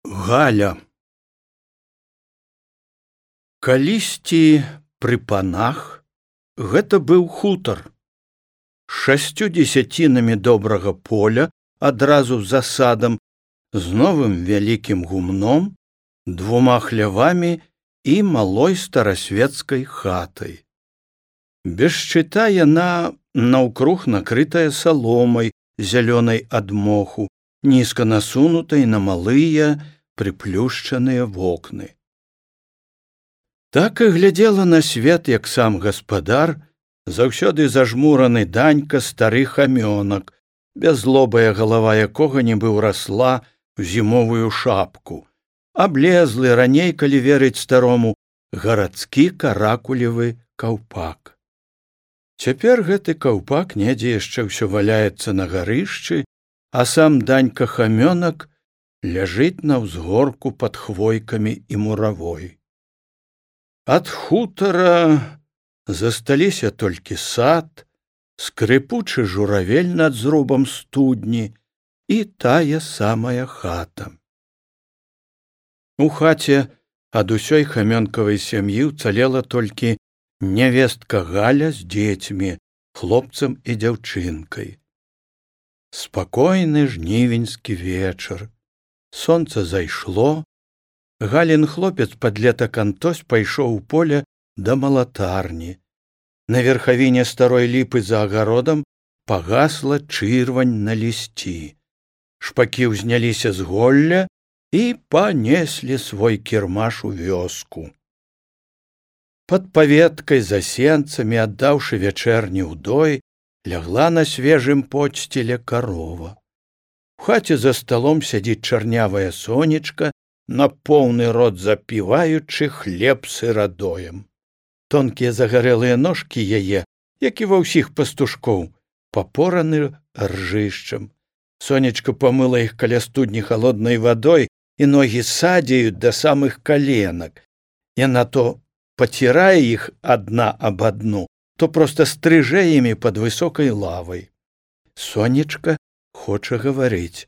Галя. Калісьці пры панах гэта быў хутар. 6 дзесяцінамі добрага поля адразу за садам, з новым вялікім гумном, 2 хлявамі і малой старасветскай хатай. Без шчыта яна наўкруг накрытая саломай зялёнай ад моху, нізка насунутай на малыя прыплюшчаныя вокны. Так і глядзела на свет, як сам гаспадар, заўсёды зажмураны Данька стары хамёнак, бязлобая галава якога нібы ўрасла ў зімовую шапку, аблезлы раней, калі верыць старому, гарадскі каракулевы каўпак. Цяпер гэты каўпак недзе яшчэ ўсё валяецца на гарышчы, а сам Данька хамёнак ляжыць на ўзгорку пад хвойкамі і муравой. Ад хутара засталіся толькі сад, скрыпучы журавель над зрубам студні і тая самая хата. У хаце ад усёй хамёнкавай сям'і ўцалела толькі нявестка Галя з дзецьмі, хлопцам і дзяўчынкай. Спакойны жнівеньскі вечар. Сонца зайшло. Галін хлопец падлетак Антось пайшоў у поле да малатарні. На верхавіне старой ліпы за агародам пагасла чырвань на лісці. Шпакі ўзняліся з голля і панеслі свой кірмаш у вёску. Пад паветкай за сенцамі, аддаўшы вячэрні ўдой, лягла на свежым подсціле карова. У хаце за сталом сядзіць чарнявая сонечка, на поўны рот запіваючы хлеб сырадоем. Тонкія загарэлыя ножкі яе, як і ва ўсіх пастушкоў, папораны ржышчам. Сонечка памыла іх каля студні халоднай вадой, і ногі садзяюць да самых каленак. Яна то пацірае іх адна аб адну, то проста стрыжэ імі пад высокай лавай. Сонечка хоча гаварыць.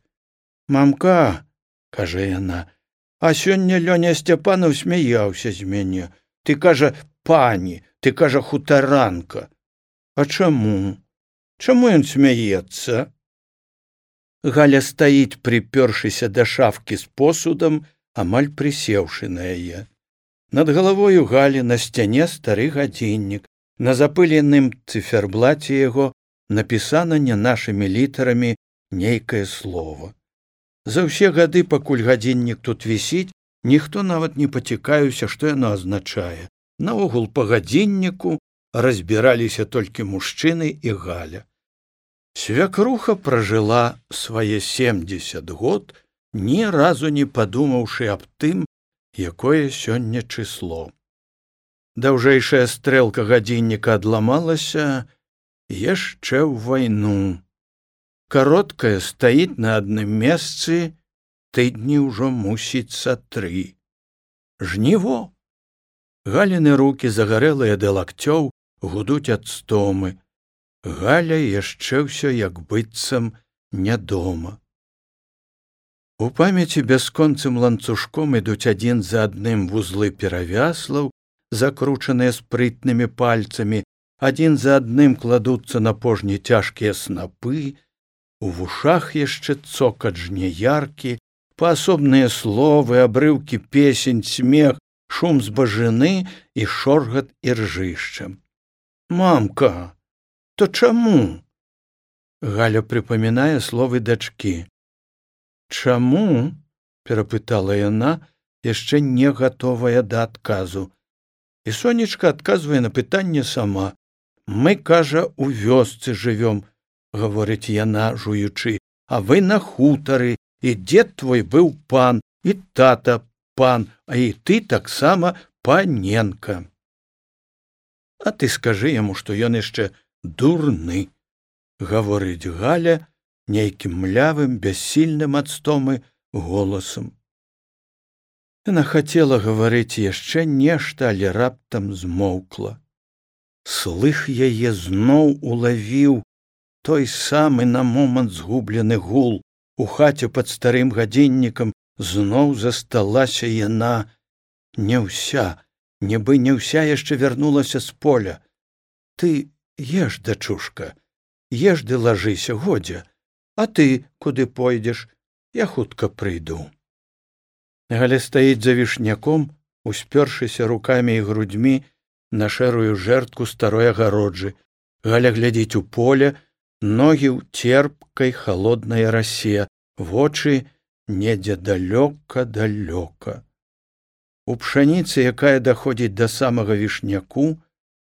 «Мамка, — кажа яна, — а сёння Лёня Сцяпанаў смяяўся з мяне. Ты, кажа, пані, ты, кажа, хутаранка. А чаму? Чаму ён смяецца?» Галя стаіць, прыпёршыся да шафкі з посудам, амаль прысеўшы на яе. Над галавою Галі на сцяне стары гадзіннік. На запыленым цыферблаце яго напісана не нашымі літарамі нейкае слово. За ўсе гады, пакуль гадзіннік тут вісіць, ніхто нават не пацікаўся, што яно азначае. Наогул па гадзінніку разбіраліся толькі мужчыны і Галя. Свякруха пражыла свае 70 год, ні разу не падумаўшы аб тым, якое сёння чысло. Даўжэйшая стрэлка гадзінніка адламалася яшчэ ў вайну. Кароткая стаіць на адным месцы, тыдні ўжо мусіцца 3. Жніво. Галіны рукі, загарэлыя да лакцёў, гудуць ад стомы. Галя яшчэ ўсё як быццам не дома. У памяці бясконцым ланцужком ідуць адзін за адным вузлы перавяслаў, закручаныя спрытнымі пальцамі, адзін за адным кладуцца на пожні цяжкія снапы, у вушах яшчэ цокат жняяркі, паасобныя словы, абрыўкі песень, смех, шум збажыны і шоргат іржышча. «Мамка, то чаму?» Галя прыпамінае словы дачкі. «Чаму?» — перапытала яна, яшчэ не гатовая да адказу. І сонечка адказвае на пытанне сама. «Мы, кажа, у вёсцы жывём, — гаворыць яна, жуючы, — а вы на хутары, і дзед твой быў пан, і тата пан, а і ты таксама паненка. А ты скажы яму, што ён яшчэ дурны, — гаворыць Галя нейкім млявым, бяссільным ад стомы голасам. Яна хацела гаварыць яшчэ нешта, але раптам змоўкла. Слых яе зноў улавіў той самы на момант згублены гул. У хаце пад старым гадзіннікам зноў засталася яна не ўся, нібы не ўся яшчэ вярнулася з поля. Ты еш, дачушка, еш ды лажыся, годзе, а ты куды пойдзеш? Я хутка прыйду. Галя стаіць за вішняком, успёршыся рукамі і грудзьмі на шэрую жэрдку старой агароджы. Галя глядзіць у поле, ногі ў церпкай халоднай расе, вочы недзе далёка-далёка. У пшаніцы, якая даходзіць да самага вішняку,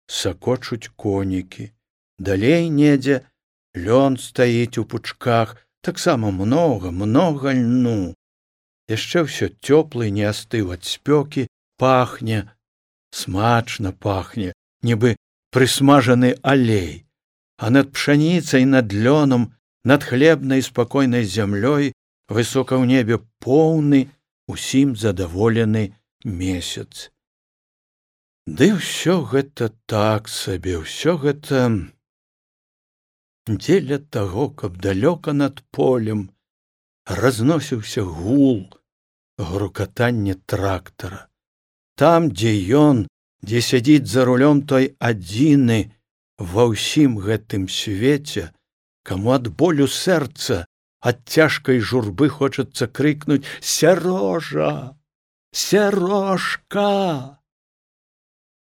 сакочуць конікі. Далей недзе лён стаіць у пучках, таксама многа льну. Яшчэ ўсё цёплы, не астыў ад спёкі, пахне, смачна пахне, нібы прысмажаны алей. А над пшаніцай, над лёнам, над хлебнай спакойнай зямлёй высока ў небе поўны, усім задаволены месяц. Ды ўсё гэта так сабе, ўсё гэта дзеля таго, каб далёка над полем разносіўся гул, грукатанне трактара. Там, дзе ён, дзе сядзіць за рулём той адзіны ва ўсім гэтым свеце, каму ад болю сэрца, ад цяжкай журбы хочацца крыкнуць: «Сярожа! Сярожка!»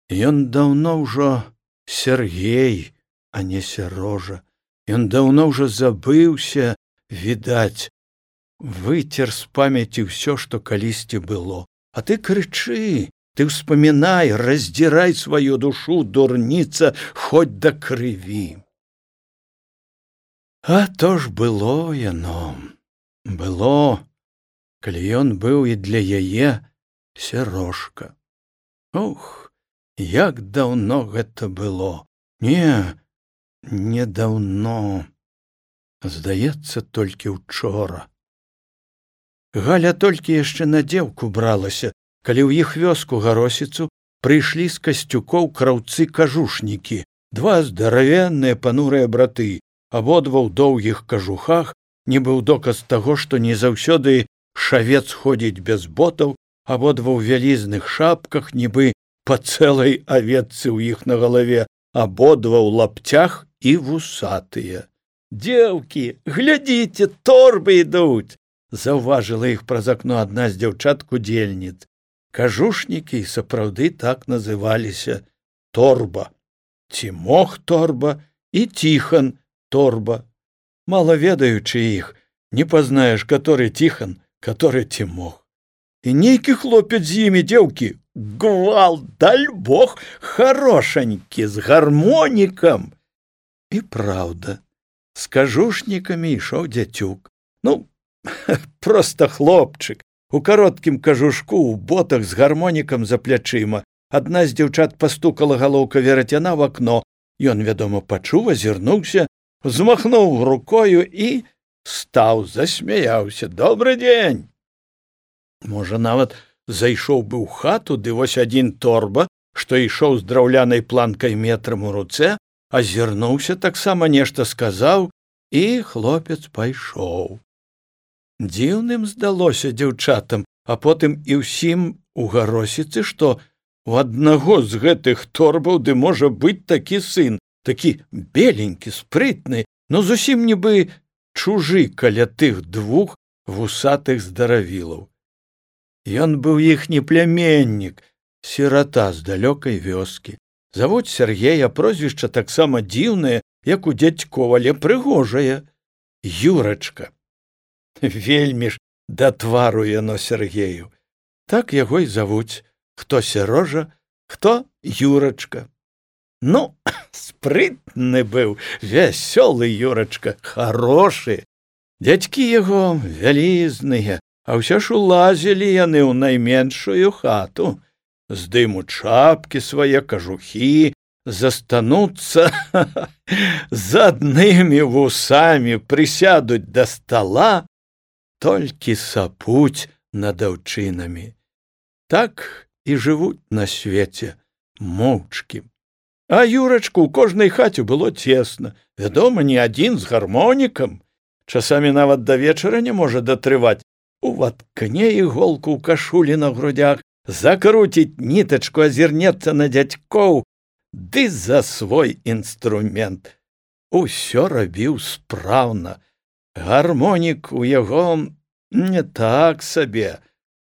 Ён даўно ўжо Сергей, а не Сярожа. Ён даўно ўжо забыўся, відаць, выцер з памяці ўсё, што калісьці было. А ты крычы, ты ўспамінай, раздзірай сваю душу, дурніца, хоць да крыві. А то ж было яно, было, калі ён быў і для яе Сярожка. Ох, як даўно гэта было. Не даўно. Здаецца, толькі учора. Галя толькі яшчэ на дзеўку бралася, калі ў іх вёску Гаросіцу прыйшлі з Касцюкоў краўцы-кажушнікі, два здаравенныя панурыя браты, абодва ў доўгіх кажухах, нібы ў доказ таго, што не заўсёды шавец ходзіць без ботаў, абодва ў вялізных шапках, нібы па цэлай авечцы ў іх на галаве, абодва ў лапцях і вусатыя. «Дзеўкі, глядзіце, торбы ідуць!» заўважыла іх праз акно адна з дзяўчат-кудзельніц. Кажушнікі сапраўды так называліся: Торба, Цімох Торба і Тихан Торба. Мала ведаючы іх, не пазнаеш, каторы Тихан, каторы Цімох. І нейкі хлопец з імі, дзеўкі, гвалт, даль бог, харошанькі, з гармонікам. І праўда, з кажушнікамі ішоў дзяцюк. Проста хлопчык, у кароткім кажушку, у ботах з гармонікам за плячыма. Адна з дзяўчат пастукала галоўка верацяна в акно. Ён, вядома, пачуў, азірнуўся, змахнуў рукою і стаў, засмяяўся. «Добры дзень!» Можа, нават зайшоў бы ў хату, ды вось адзін Торба, што ішоў з драўлянай планкай метрам у руцэ, азірнуўся, таксама нешта сказаў, і хлопец пайшоў. Дзіўным здалося дзяўчатам, а потым і ўсім у Гаросіцы, што у аднаго з гэтых торбаў ды можа быць такі сын, такі беленькі, спрытны, но зусім нібы чужы каля тых двух вусатых здаравілаў. Ён быў іхні пляменнік, сірата з далёкай вёскі. Завуць Сергей, а прозвішча таксама дзіўнае, як у дзядзькова, але прыгожае. Юрачка. Вельмі ж да твару яно Сергею. Так яго і завуць. Хто Сярожа, хто Юрачка. Спрытны быў, вясёлы Юрачка, харошы. Дзядзькі яго вялізныя, а ўсё ж улазілі яны ў найменшую хату. Здымуць шапкі свае, кажухі, застануцца з аднымі вусамі, прысядуць да стала, толькі сапуць над аўчынамі. Так і жывуць на свеце, моўчкі. А Юрачку ў кожнай хаце было цесна. Вядома, не адзін з гармонікам. Часамі нават да вечара не можа датрываць. Уваткне іголку ў кашулі на грудях, закруціць нітачку, азірнецца на дзядзькоў, ды за свой інструмент. Усё рабіў спраўна. Гармонік у яго не так сабе,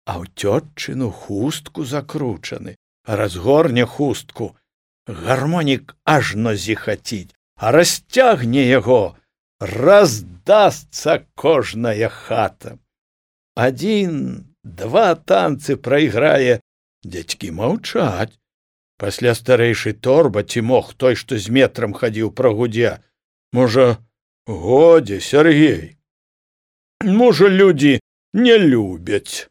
а ў цётчыну хустку закручаны. Разгорне хустку, гармонік ажно зіхаціць, а расцягне яго, раздасца кожная хата. 1-2 танцы прайграе, дзядзькі маўчаць. Пасля старэйшы торба ці мог той, што з метрам хадзіў, прагудзе: «Можа, годзе, Сяргей, можа, людзі не любяць».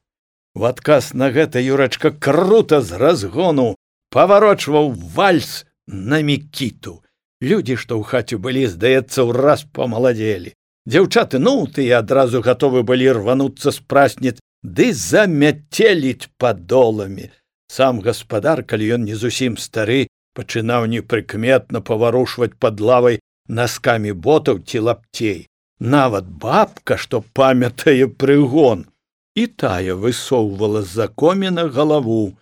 У адказ на гэта Юрачка крута з разгону паварочваў вальс на Мікіту. Людзі, што ў хаце былі, здаецца, ураз памаладзелі. Дзяўчаты, тыя адразу гатовы былі рвануцца з прасніц ды замяцеліць падоламі. Сам гаспадар, калі ён не зусім стары, пачынаў непрыкметна паварушваць пад лавай наскамі ботаў ці лапцей. Нават бабка, што памятае прыгон, і тая высоўвала з-за коміна галаву.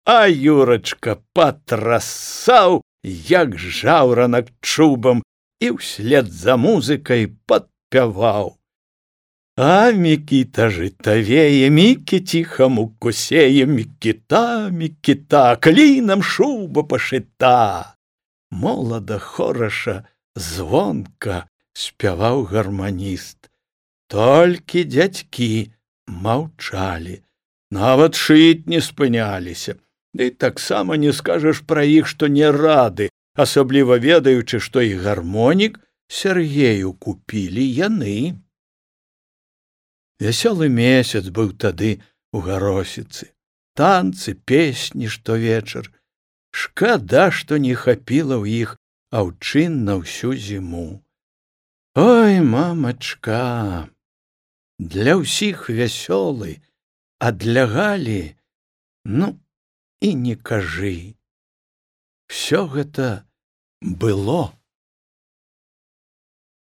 А Юрачка патрасаў, як жаўранак чубам, і ўслед за музыкай падпяваў: «А Мікіта жытавее, Мікіціха муку сее, Мікіта, Мікіта, клінам шуба пашыта». Молада, хораша, звонка спяваў гарманіст. Толькі дзядзькі маўчалі, нават шыць не спыняліся. Ды таксама не скажаш пра іх, што не рады, асабліва ведаючы, што і гармонік Сяргею купілі яны. Вясёлы месяц быў тады у Гаросіцы. Танцы, песні штовечар. Шкада, што не хапіла ў іх аўчын на ўсю зіму. Ой, мамачка, для ўсіх вясёлы, а для Галі, і не кажы. Всё гэта было.